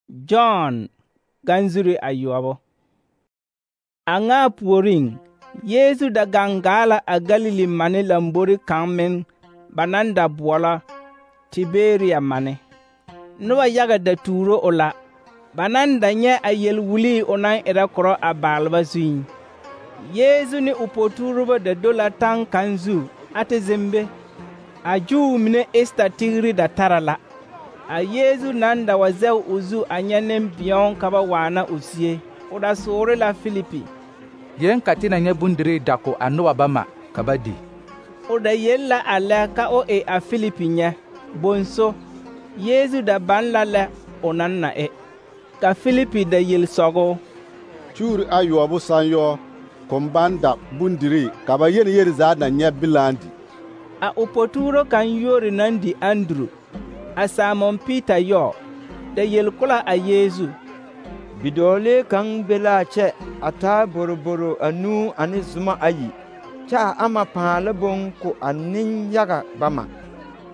John ganzuri ayoɔbo. A ŋa puoriŋ, Yeesu da gaŋ gaa la a Galili mane lambori kaŋ meŋ ba naŋ da boɔlɔ Tiberia mane. Noba yaga da tuuro o la, ba naŋ da nyɛ a yel-wulii o naŋ erɛ korɔ a baalba zuiŋ. Yeesu ne o po-tuurobo da do la taŋ kaŋ zu a te zeŋ be. A Júu mine Esta tigiri da tara la. A Yeesu naŋ da wa zɛge o zu a nyɛ nembēo ka ba waana o zie, o da soore la Filipi: Yeŋ ka te na nyɛ bondirii dako a noba bama ka ba di. O da yel la a lɛ ka o e a Filipi nyɛ. Bonso, Yeesu da baŋ la lɛ o naŋ na e. Ka Filipi da yel sɔgɔ: Kyuuri ayoɔbo sãn yɔ, kõn baŋ da bondirii ka ba yel zaa na nyɛ bilaaŋ di. A o po-tuuro kaŋ yuori naŋ di Anduru, a Simon Piita yɔ, da yel-ko la a Yeesu: Bidɔɔlee kaŋ be la a kyɛ a taa boroboro anuu ane zuma ayi, kyɛ a ama pãã la boŋ ko a nenyaga bama.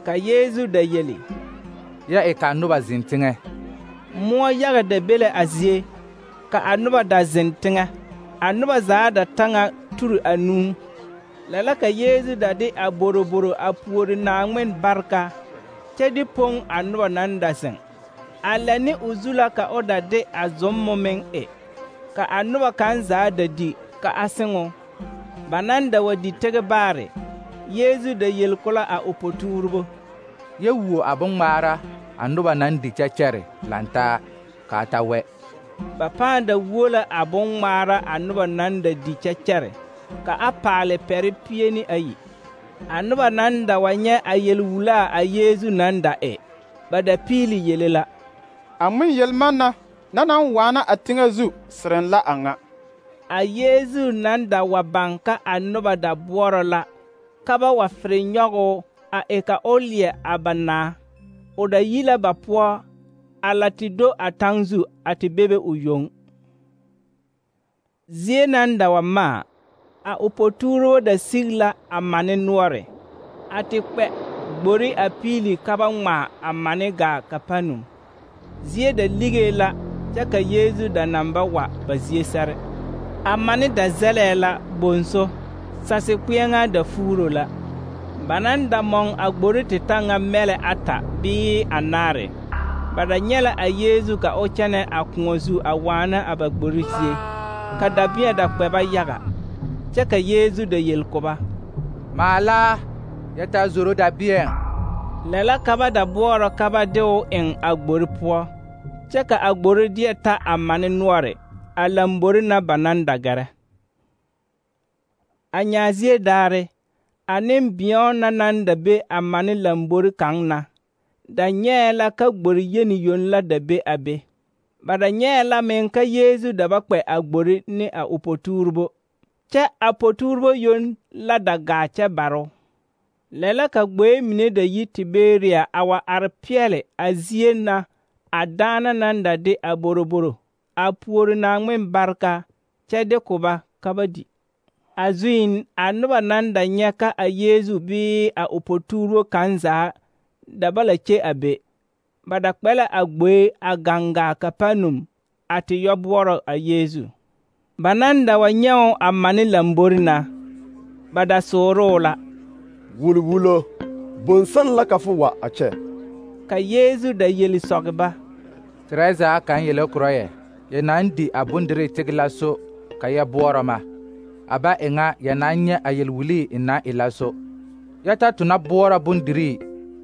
Ka Yeesu da yeli: Ya e ka noba zeŋ teŋɛ. Moɔ yaga da be la a zie, ka a noba da zeŋ teŋɛ. A noba zaa da ta ŋa turi anuu. Lɛ la ka Yeesu da de a boroboro a puori Naaŋmen bareka, kyɛ de poŋ a noba naŋ da zeŋ. A lɛ ne o zu la ka o da de a zommo meŋ e. Ka a noba kaŋ zaa da di ka a seŋo. Ba naŋ da wa di tege baare, Yeesu da yel-ko la a o po-tuurobo: Ya wuo a boŋŋmaara a noba naŋ di kyɛ kyɛre lantaa, ka a ta wɛ. Ba pãã da wuo la a boŋŋmaara a noba naŋ da di kyɛ kyɛre, ka a paale pɛre 200. A noba naŋ da wa nyɛ a yel-wulaa a Yeesu naŋ da e, ba da piili yele la: A ŋmen-yelmanna na naŋ waana a teŋɛ zu sereŋ la a ŋa. A Yeesu naŋ da wa baŋ ka a noba da boɔrɔ la, ka ba wa fere nyɔge o a e ka o leɛ a ba naa. O da yi la ba poɔ, a la te do a taŋ zu a te bebe o yoŋ. Zie naŋ da wa maa, a o po-tuurobo da sigi la a mane noɔre, a te kpɛ gbori a piili ka ba ŋmaa a mane gaa Kapanum. Zie da ligee la, kyɛ ka Yeesu da naŋ ba wa ba zie sɛre. A mane da zɛlɛɛ la bonso, sase-kpeɛŋaa da fuuro la. Ba naŋ da mɔŋ a gbori te ta ŋa mɛlɛ 8 bɩɩ anaare. Ba da nyɛ la a Yeesu ka o kyɛnɛ a kõɔ zu a waana a ba gbori zie, ka dabẽɛ da kpɛ ba yaga. Kyɛ ka Yeesu da yel-ko ba: Maala, ya taa zoro dabẽɛ. Lɛ la ka ba da boɔrɔ ka ba de o eŋ a gbori poɔ, kyɛ ka a gbori deɛ ta a mane noɔre, a lambori na ba naŋ da gɛrɛ. A nyaazie daare, a nembēo na naŋ da be a mane lambori kaŋ na, da nyɛɛ la ka gbori yeni yoŋ la da be a be. Ba da nyɛɛ la meŋ ka Yeesu da ba kpɛ a gbori ne a o po-tuurobo, kyɛ a po-tuurobo yoŋ la da gaa kyɛ bare o. Lɛ la ka gboe mine da yi Tiberia a wa are peɛle a zie na a daana naŋ da de a boroboro a puori Naaŋmen bareka, kyɛ de ko ba ka ba di. A zuiŋ, a noba naŋ da nyɛ ka a Yeesu bɩɩ a o po-tuurobo kaŋ zaa da ba la kye a be. Ba da kpɛ la a gboe a gaŋ gaa Kapanum a te yɔ boɔrɔ a Yeesu. Ba naŋ da wa nyɛ o a mane lambori na, ba da sooroo la: Wulwulo, bõn-sãn la ka fo wa a kyɛ? Ka Yeesu da yeli sɔge ba: Terɛzaa kaŋ yele korɔ yɛ, ya naŋ di a bondirii tege la so ka ya boɔrɔ ma. A ba e ŋa ya naŋ nyɛ a yel-wulii n na e la so. Ya ta tona boɔrɔ bondirii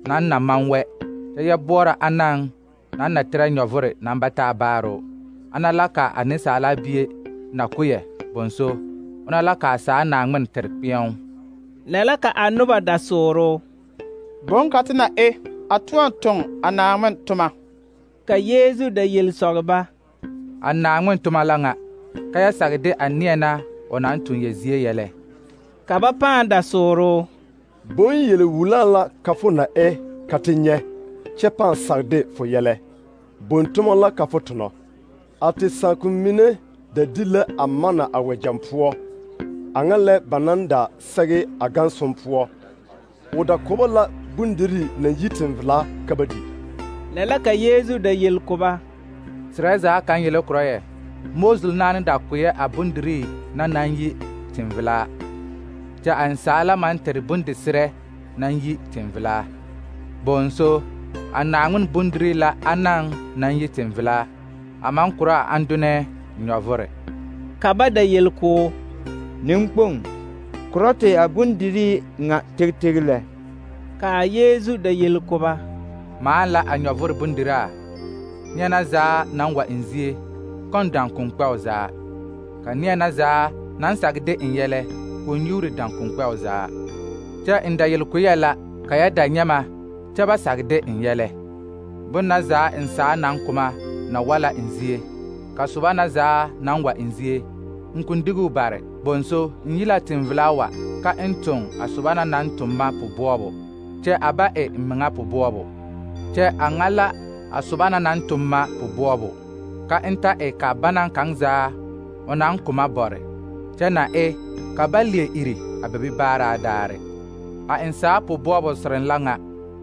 naŋ na maŋ wɛ, kyɛ ya boɔrɔ anaŋ naŋ na terɛ nyɔvore naŋ ba taa baaroo. Ana la ka a Nensaala Bie na ko yɛ, bonso, ona la ka a saa Naaŋmen tere kpeɛŋ. Lɛ la ka a noba da sooroo: Bõn ka te na e a tõɔ toŋ a Naaŋmen toma? Ka Yeesu da yel sɔge ba: A Naaŋmen toma la ŋa, ka ya sage de a neɛ na o naŋ tuŋ ya zie yɛlɛ. Ka ba pãã da sooroo: Bõn-yel-wulaa la ka fo na e ka te nyɛ, kyɛ pãã sage de fo yɛlɛ. Bõn-toma la ka fo tonɔ. A te sãakun mine da di la a mana a wɛgyɛŋ poɔ, a ŋa lɛ ba naŋ da sɛge a gãnsom poɔ. O da ko ba la bondirii naŋ yi teŋvelaa ka ba di. Lɛ la ka Yeesu da yel ko ba: sirɛ zaa kaŋ yele korɔ yɛ Moses naane da koyɛ a bondirii na naŋ yi tẽn-velaa, kyɛ a ensaala maŋ tere bondesirɛ naŋ yi tẽn-velaa. Bonso, a Naaŋmen bondirii la anaŋ naŋ yi tẽn-velaa, a maŋ korɔ a andunɛɛ nyɔvore. Ka ba da yel koo: Neŋkpoŋ, korɔ te a bondirii ŋa teg lɛ. Ka a Yeezu da yel ko ba: Maan la a nyɔvore bondiraa, neɛ na zaa naŋ wa eŋ zie, kɔŋ daŋkoŋkpɛo zaa. Ka neɛ na zaa naŋ sage de eŋ yɛlɛ, k'o nyuuri daŋkoŋkpɛo zaa. Kyɛ n da yel ko yɛ la ka ya da nyɛ ma, kyɛ ba sage de eŋ yɛlɛ. Bon na zaa n saa naŋ koma na wa la eŋ zie, ka soba na zaa naŋ wa eŋ zie, n kõn diguu bare. Bonso, n yi la tẽn-velaa wa ka n toŋ a soba na naŋ toŋ ma pu-boɔbo, kyɛ a ba e n meŋa pu-boɔbo. Kyɛ a ŋa la a soba na naŋ toŋ ma pu-boɔbo, ka n ta e ka banaŋ kaŋ zaa o naŋ koma bɔre, kyɛ na e ka ba leɛ iri a ba bi baaraa daare. A ensaa pu-boɔbo sereŋ la ŋa,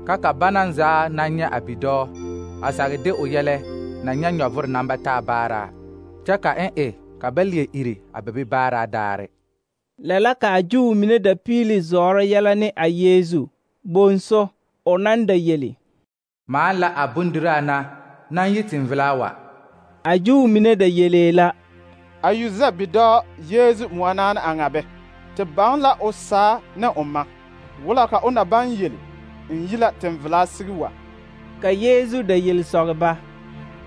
ka banaŋ zaa naŋ nyɛ a bidɔɔ, a sage de o yɛlɛ na nyɛ nyɔvore naŋ ba taa baaraa, kyɛ ka n e ka ba leɛ iri a ba bi baaraa daare. Lɛ la ka a Juu mine da piili zɔɔrɔ yɛlɛ ne a Yeezu. Bonso, o naŋ da yeli: Maan la a bondiraa na naŋ yi tẽn-velaa wa. A Juu mine da yelee la: A yu zɛ bidɔɔ Yeezu moɔnaane a ŋa bɛ, te baŋ la o saa ne o ma, wula ka o na baŋ yeli n yi la tẽn-velaa sigi wa. Ka Yeezu da yel sɔge ba: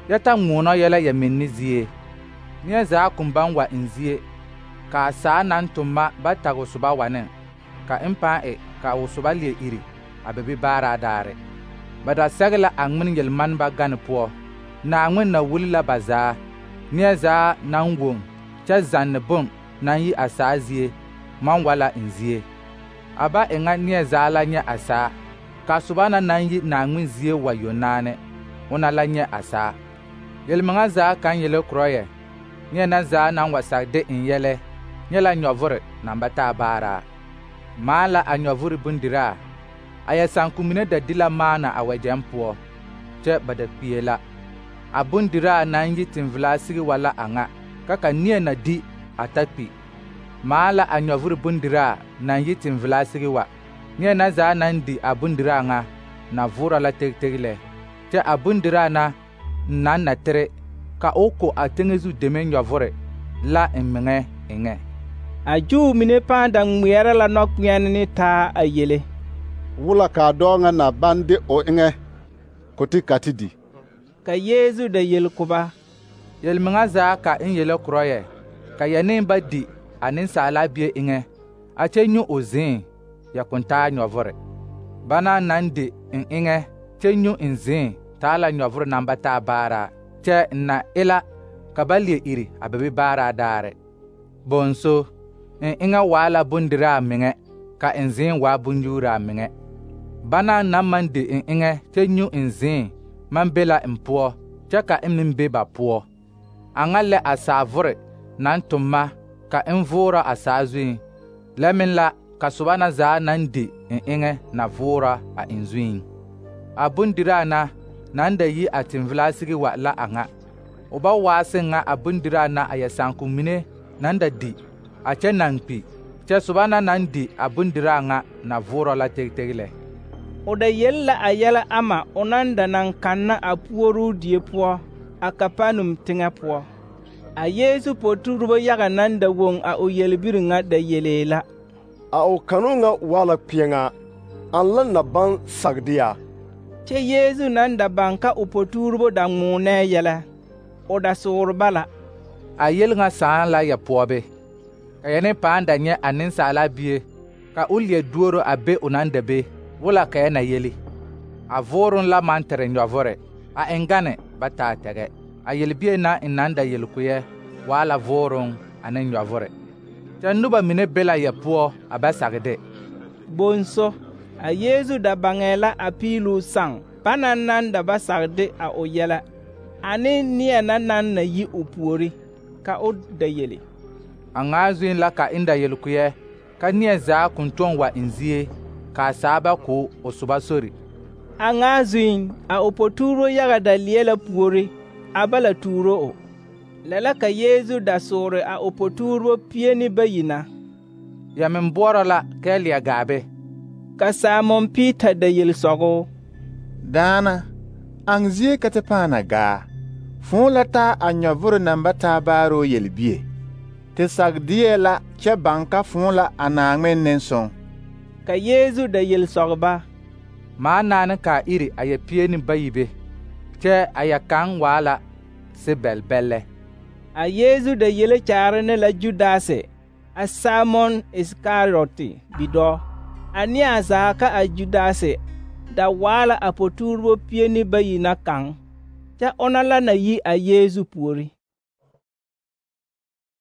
Yɛ ta ŋmoonɔ yɛlɛ yɛ menni zie. Neɛ zaa kõn baŋ wa eŋ zie, ka a saa naŋ toŋ ma ba tag o soba wa ne, ka n pãã e ka o soba leɛ iri a ba bi baaraa daare. Ba da sɛge la a ŋmen yel-maneba gane poɔ. Naaŋmen na wuli la ba zaa, neɛ zaa naŋ woŋ kyɛ zanne bon naŋ yi a saa zie maŋ wa la eŋ zie. A ba e ŋa neɛ zaa la nyɛ a saa, ka soba na naŋ yi Naaŋmen zie wa yonaane, ona la nyɛ a saa. Yel-meŋa zaa kaŋ yele korɔ yɛ neɛ na zaa naŋ wa sage de eŋ yɛlɛ nyɛ la nyɔvore naŋ ba taa baaraa. Maan la a nyɔvore bondiraa, a yɛ sããko mine da di la maana a wɛgyɛŋ poɔ, kyɛ ba da kpie la. A bondiraa naŋ yi tẽn-velaa sigi wa la a ŋa, ka neɛ na di a ta kpi. Maan la a nyɔvore bondiraa naŋ yi tẽn-velaa sigi wa, neɛ na zaa naŋ di a bondiraa ŋa na voora la teg lɛ, kyɛ a bondiraa na n naŋ na tere ka o ko a teŋɛ zu deme nyɔvore la n meŋɛ eŋɛ. A Juu mine pãã da ŋmeɛrɛ la nɔkpeɛne ne taa a yele: Wula kaa dɔɔ ŋa na baŋ de o eŋɛ ko ti ka ti di. Ka Yeezu da yel ko ba: Yel-meŋa zaa ka n yele korɔ yɛ ka yɛ ne ba di a Nensaala Bie eŋɛ, a kyɛ nyu o zĩĩ, yɛ kõn taa nyɔvore. Banaŋ naŋ di n eŋɛ kyɛ nyu n zĩĩ taa la nyɔvore naŋ ba taa baaraa, kyɛ n na e la ka ba leɛ iri a ba bi baaraa daare. Bonso, n eŋɛ waa la bondiraa meŋɛ, ka n zĩĩ waa bonyuuraa meŋɛ. Banaŋ naŋ maŋ di n eŋɛ kyɛ nyu n zĩĩ maŋ be la n poɔ, kyɛ ka n meŋ be ba poɔ. A ŋa lɛ a saavore naŋ toŋ ma ka n voora a saa zuiŋ, lɛ meŋ la ka soba na zaa naŋ di n eŋɛ na voora a eŋ zuiŋ. A bondiraa na naŋ da yi a tẽn-velaa sigi wa la a ŋa. O ba waa seŋ ŋa a bondiraa na a yɛ sããko mine naŋ da di a kyɛ naŋ kpi, kyɛ soba na naŋ di a bondiraa ŋa na voorɔ la teg lɛ. O da yel la a yɛlɛ ama o naŋ da naŋ kanna a puoruu die poɔ a Kapanum teŋɛ poɔ. A Yeezu poturebo yaga naŋ da woŋ a o yelbiri ŋa da yelee la: A o kanoo ŋa waa la kpeɛŋaa, aŋ la na baŋ sage de yaa? Kyɛ Yeezu naŋ da baŋ ka o poturebo da ŋmoonɛɛ yɛlɛ, o da soore ba la: A yel ŋa sãã la yɛ poɔbe, ka yɛ ne pãã da nyɛ a Nensaala Bie, ka o leɛ duoro a be o naŋ da be, wula ka yɛ na yeli. A vooroŋ la maŋ tere nyɔvore, a eŋ gane ba taa tɛgɛ. A yelbie na n naŋ da yel ko yɛ waa la vooroŋ ane nyɔvore. Kyɛ noba mine be la yɛ poɔ a bɛ sage de. Bonso, a Yeezu da baŋɛɛ la a piiluu saŋ banaŋ naŋ da ba sage de a o yɛlɛ, ane neɛ na naŋ na yi o puori, ka o da yeli. A ŋaa zuiŋ la ka n da yel ko yɛ ka neɛ zaa kõn tõɔ wa eŋ zie, kaa saa ba ko o soba sori. A ŋaa zuiŋ, a o poturo yaga da leɛ la puori, a ba la tuuro o. Lɛ la ka Yeezu da soore a o potuurebo 12 na. Ya meŋ boɔrɔ la kɛ leɛ gaa be. Ka Simon Peter da yel sɔgɔ: Daana, aŋ zie ka te pãã na gaa? Fõõ la taa a nyɔvoro naŋ ba taa baaroo yelbie. Te sag deɛ la kyɛ baŋ ka fõõ la a Naaŋmen nensõŋ. Ka Yeezu da yel sɔg ba: Maa naane kaa iri a ya 12 be, kyɛ a ya kaŋ waa la sebɛlbɛlɛ. A Yeezu da yele kyaare ne la Judase, a Simon Iskariote bidɔɔ. A neɛ zaa ka a Judase da waa la a potuurebo 12 na kaŋ, kyɛ ona la na yi a Yeezu puori.